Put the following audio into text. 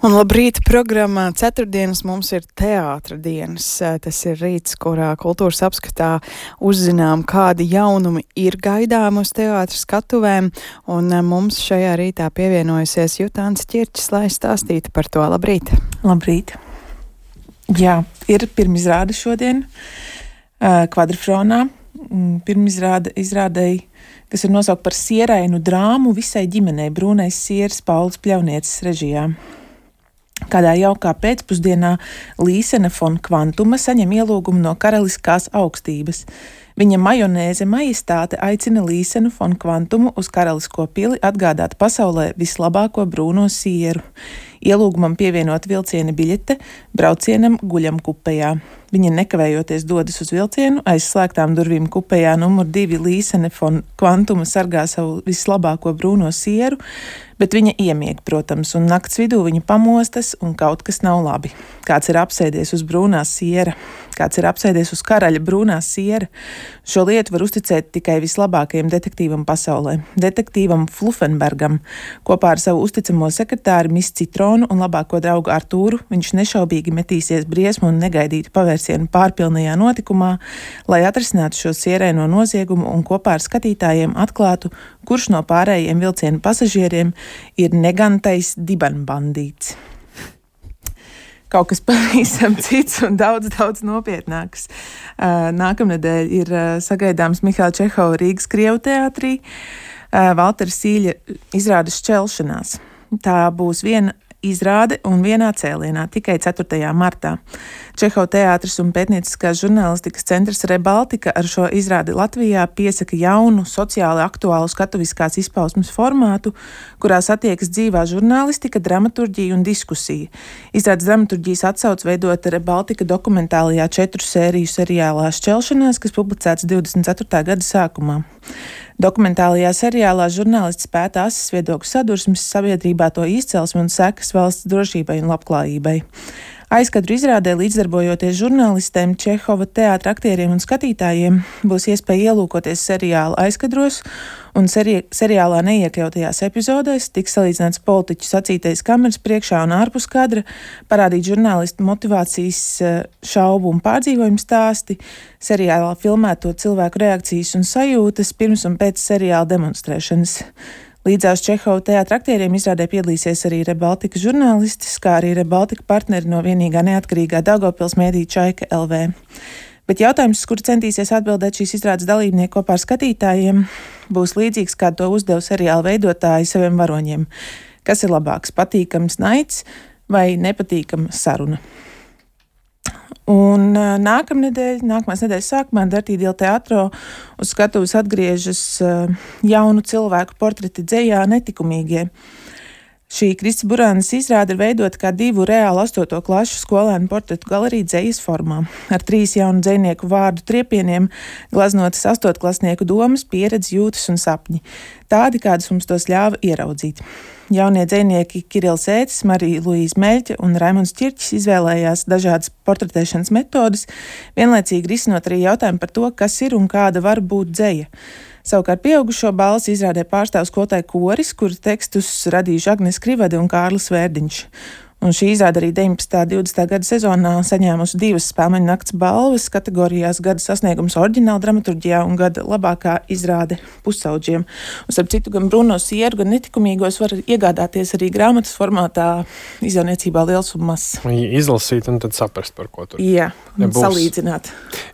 Un labrīt programmā ceturtdienas mums ir teātra dienas. Tas ir rīts, kurā kultūras apskatā uzzinām, kādi jaunumi ir gaidām uz teātra skatuvēm. Un mums šajā rītā pievienojusies Jutāns Ķirčs, lai stāstītu par to. Labrīt! Labrīt! Jā, ir pirmizrāde šodien Kvadrfronā. Pirmizrādei, kas ir nosaukt par sierainu drāmu visai ģimenei, Brūnais sieras Pauls Pļaunieces režijā. Kādā jaukā pēcpusdienā Līsene von Kvantuma saņem ielūgumu no karaliskās augstības. Viņa majonēze majestāte aicina Līsenu von Kvantumu uz karalisko pili atgādāt pasaulē vislabāko brūno sieru. Ielūgumam pievienot vilciena biļete, braucienam guļam kupejā. Viņa nekavējoties dodas uz vilcienu, aiz slēgtām durvīm kupejā numur 2 Līsene von Kvantuma sargā savu vislabāko brūno sieru, bet viņa iemieg, protams, un nakts vidū viņa pamostas un kaut kas nav labi. Kāds ir apsēdies uz brūnā siera, kāds ir apsēdies uz karaļa brūnā siera. Šo lietu var uzticēt tikai vislabākajam detektīvam pasaulē, detektīvam Fluffenbergam. Kopā ar savu uzticamo sekretāri Miss Citronu un labāko draugu Artūru viņš nešaubīgi metīsies briesmu un negaidītu pavērsienu pārpilnajā notikumā, lai atrisinātu šo sieraino noziegumu un kopā ar skatītājiem atklātu, kurš no pārējiem vilciena pasažieriem ir negantais dibenbandīts. Kaut kas pavisam cits un daudz nopietnāks. Nākamnedēļ ir sagaidāms Mihaila Čehova Rīgas Krievu teātrī Valtera Sīļa izrādes Šķelšanās. Tā būs viena izrāde un vienā cēlienā, tikai 4. martā. Čehova teātris un pētnieciskās žurnālistikas centrs Rebaltika ar šo izrādi Latvijā piesaka jaunu, sociāli aktuālu skatuviskās izpausmes formātu, kurā satiekas dzīvā žurnālistika, dramaturģija un diskusija. Izrādes dramaturģijas atsauc veidota Rebaltika dokumentālajā 4 sēriju seriālā Šķelšanās, kas publicēts 24. gada sākumā. Dokumentālajā seriālā žurnālists pēta asas viedokļu sadursmes sabiedrībā, to izcelsmi un sekas valsts drošībai un labklājībai. Aizkadru izrādē līdzdarbojoties žurnālistēm, Čehova teātra aktieriem un skatītājiem būs iespēja ielūkoties seriāla aizkadros, un seriālā neiekļautajās epizodēs tiks salīdzināts politiķu sacītais kameras priekšā un ārpus kadra, parādīt žurnālistu motivācijas, šaubu un pārdzīvojumu stāsti, seriālā filmēto cilvēku reakcijas un sajūtas pirms un pēc seriāla demonstrēšanas. Līdzās Čehova teātra aktieriem izrādē piedalīsies arī Rebaltika žurnālistis, kā arī Rebaltika partneri no vienīgā neatkarīgā Daugavpils mēdīja Čaika LV. Bet jautājums, kur centīsies atbildēt šīs izrādes dalībnieki kopā ar skatītājiem, būs līdzīgs, kā to uzdeva seriāla veidotāji saviem varoņiem. Kas ir labāks, patīkams naids vai nepatīkama saruna? Un nākamās nedēļas sākumā Dartīdila teātro uz skatuves atgriežas jaunu cilvēku portreti dzejā Netikumīgie. Šī Kristis Burānas izrāde ir veidota kā 2 reāli 8. klašu skolēnu portretu galerija dzejas formā, ar 3 jaunu dzejnieku vārdu triepieniem, glaznotas 8-klasnieku domas, pieredzi, jūtas un sapņi. Tādi, kādus mums tos ļāva ieraudzīt. Jaunie dzejnieki Kirils Ētis, Marija Luīza Meļķe un Raimunds Ķirčs izvēlējās dažādas portretēšanas metodes, vienlaicīgi risinot arī jautājumu par to, kas ir un kāda var būt dzeja. Savukārt pieaugušo balsi izrādē pārstāv skolotāju koris, kuru tekstus radījuši Agnes Krivade un Kārlis Vērdiņš. Un šī izrāde arī 19. 20. gada sezonā saņēmusi 2 Spēlmeņu nakts balvas kategorijās gada sasniegums oriģināla dramaturģijā un gada labākā izrāde pusauģiem. Un starp citu, gan Bruno sieru, gan Netikumīgos var iegādāties arī grāmatas formātā izdevniecībā Liels un Mazs. Izlasīt un tad saprast, par ko tur būs. Salīdzināt.